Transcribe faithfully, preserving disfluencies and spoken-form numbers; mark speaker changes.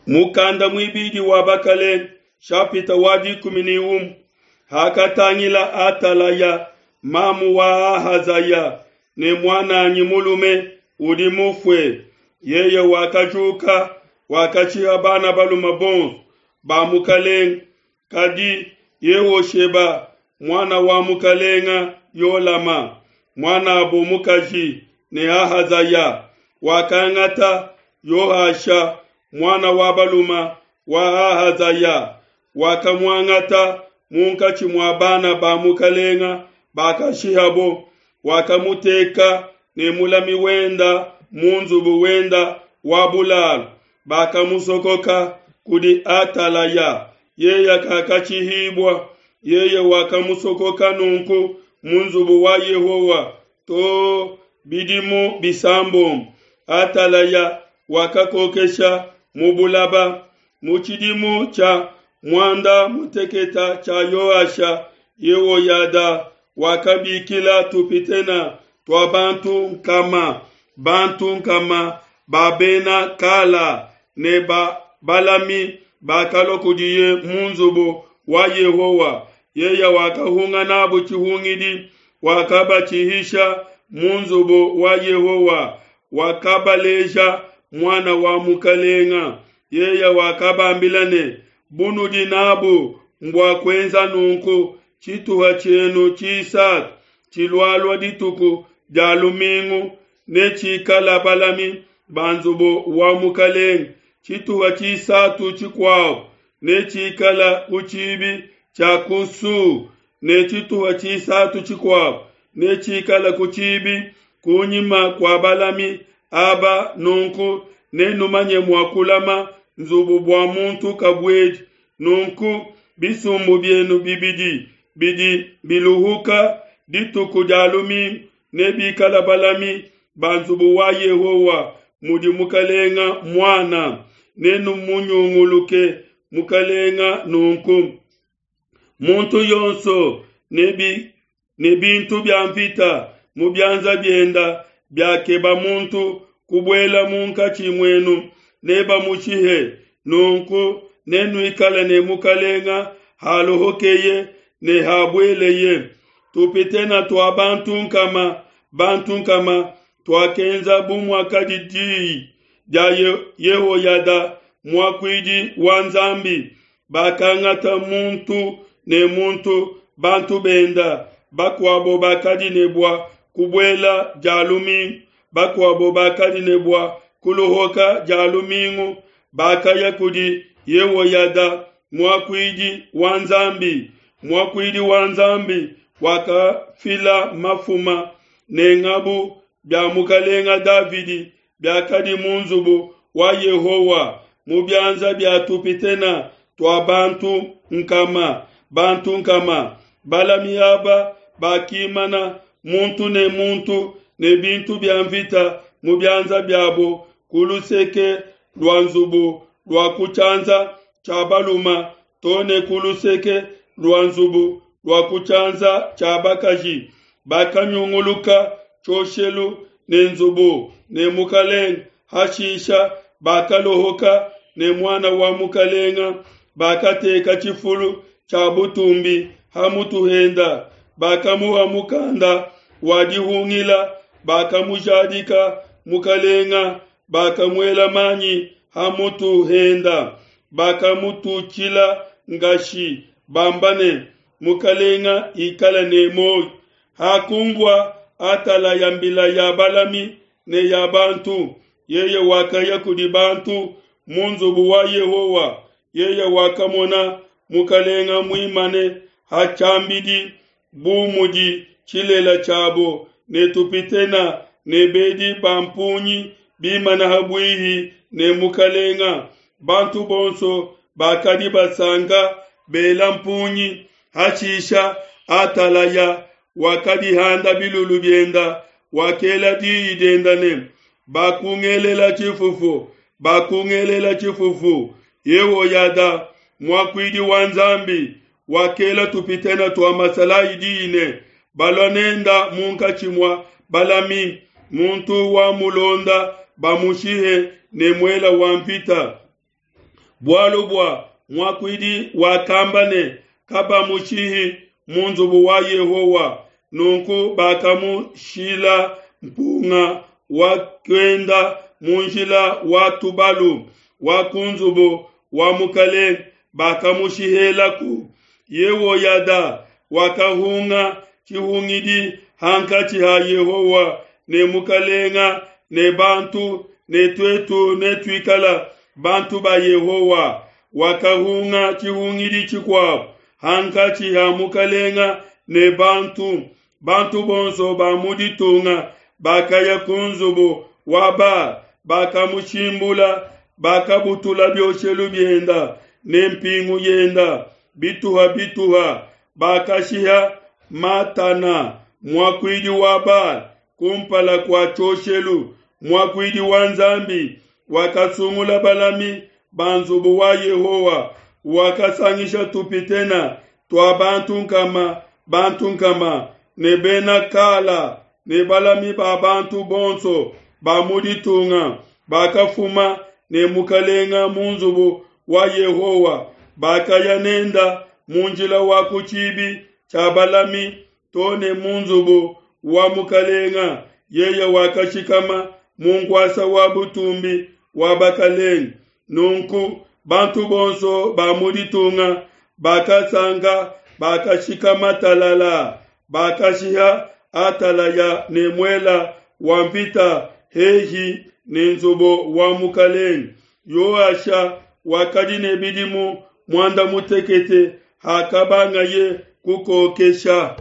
Speaker 1: Mukanda muibidi wa Bakelenge, chapitre wa dikumi ne umue. Hakatangila Atalaya, mamu wa Ahazaya, ne muan'anyi mulume udi mufue, yeye wakajuka, wakashiha bana balume bonso ba mukelenge. Kadi Yehosheba, muana wa mukelenge Yolama, muan'abo mukaji ne Ahazaya, wakangata Yoasha, muana wa balume wa Ahazaya, wakamuangata munkatshi mua bana ba mukelenge bakashihabo, wakamuteka ne mulami wenda mu nzubu wenda wa bulalu. Bakamusokoka kudi Atalaya, yeye kakashihibua. Yeye wakamusokoka nunku mu nzubu wa Yehowa to bidimu bisambombo. Atalaya wakakokesha mu bulaba. Mu tshidimu tshia muanda muteketa tshia Yoasha, Yehoyada wakabikila tupitena tua bantu nkama bantu nkama ba bena Kala ne ba balami bakalua kudiye mu nzubu wa Yehowa. Yeye wakahunga nabo tshihungidi, wakabatshihisha mu nzubu wa Yehowa, wakabaleja muana wa mukalenga. Yeye wakabambila ne, bunudi nabu mbua kuenza nunku, tshituha tshienu tshisatu tshilualua dituku dia lumingu netshikala balami ba nzubu wa mukalenge, tshituha tshisatu tshikuabo netshikala ku tshibi tshia ku Su, ne tshituha tshisatu tshikuabo netshikala ku tshibi kunyima kua balami aba. Nunku nenumanye mua kulama nzubu bua muntu kabuedi. Nunku bisumbu bienu bibidi bidi biluhuka dituku dia lumingu nebikala balami ba nzubu wa Yehowa mudi mukalenga muana. Nenumunyunguluke mukalenga nunku, muntu yonso ne bi ne bintu bia mvita mu bianza bienda biakeba muntu kubuela munkatshi muenu nebamushihe. Nunku nenuikale ne mukalenga haluhukeye ne habueleye. Tupitena tua bantu nkama bantu nkama tuakenza bu muakadi diyi dia Yehoyada muakuidi wa Nzambi. Bakangata muntu ne muntu bantu benda, bakuabo bakadi ne bua kubuela dia lumingu, bakuabo bakadi ne bua kuluhuka dia lumingu. Bakaya kudi Yehoyada muakuidi wa Nzambi. Muakuidi wa Nzambi wakafila mafuma ne ngabu bia mukalenga Davidi biakadi mu nzubu wa Yehowa mu bianza bia tupitena tua bantu nkama bantu nkama. Balami aba bakimana muntu ne muntu ne bintu bia mvita mu bianza biabo ku luseke lua nzubu lua ku tshianza tshia baluma to ne ku luseke lua nzubu lua ku tshianza tshia bakaji. Bakanyunguluka tshioshelu ne nzubu ne mukalenga. Hashisha bakalohoka ne muana wa mukalenga, bakateka tshifulu tshia butumbi ha mutu henda, bakamuha mukanda wa dihungila, bakamujadika mukalenga, bakamuela manyi ha mutu henda, bakamututshila ngashi, bamba ne, mukalenga ikala ne muoyo. Hakunvua Atalaya mbila ya balami ne ya bantu, yeye wakaya kudi bantu mu nzubu wa Yehowa. Yeye wakamona mukalenga muimane ha tshiambidi bu mudi tshilela tshiabo, ne tupitena ne bedi ba mpungi bimana ha buihi ne mukalenga. Bantu bonso bakadi basanka bela mpungi. Hashisha Atalaya wakadihanda bilulu bienda, wakela diyi dienda ne, bakungelela tshifufu, bakungelela tshifufu. Yehoyada muakuidi wa Nzambi wakela tupitena tua masalayi diyi ne, balua nenda munkatshi mua balami, muntu wa mulonda bamushihe ne muela wa mvita. Bualu bua muakuidi wakamba ne, Kabamushihi mu nzubu wa Yehowa. Nunku bakamushila mpunga wa kuenda mu njila wa tubalu wa ku nzubu wa mukelenge, bakamushihelaku. Yehoyada wakahunga tshihungidi hankatshi ha Yehowa ne mukelenge ne bantu, ne tuetu netuikale bantu ba Yehowa. Wakahunga tshihungidi tshikuabo hankatshi ha mukelenge ne bantu. Bantu bonso ba mu ditunga bakaya ku nzubu wa Ba, bakamushimbula, bakabutula bioshelu bienda ne mpingu yenda bituha bituha, bakashiha Matana muakuidi wa Ba kumpala kua tshioshelu. Muakuidi wa Nzambi wakasungula balami ba nzubu wa Yehowa, wakasangisha tupitena tua bantu nkama bantu nkama ne bena Kala ne balami ba bantu bonso ba mu ditunga bakafuma ne mukalenga mu nzubu wa Yehowa, bakaya nenda mu njila wa ku tshibi tshia balami to ne mu nzubu wa mukalenga. Yeye wakashikama mu nkuasa wa butumbi wa bakalenge. Nunku bantu bonso ba mu ditunga bakasanka, bakashikama talala, bakashiha Atalaya ne muela wa mvita hehi ne nzubu wa mukalenge. Yoasha wakadi ne bidimu muanda mutekete hakabangaye kukokesha.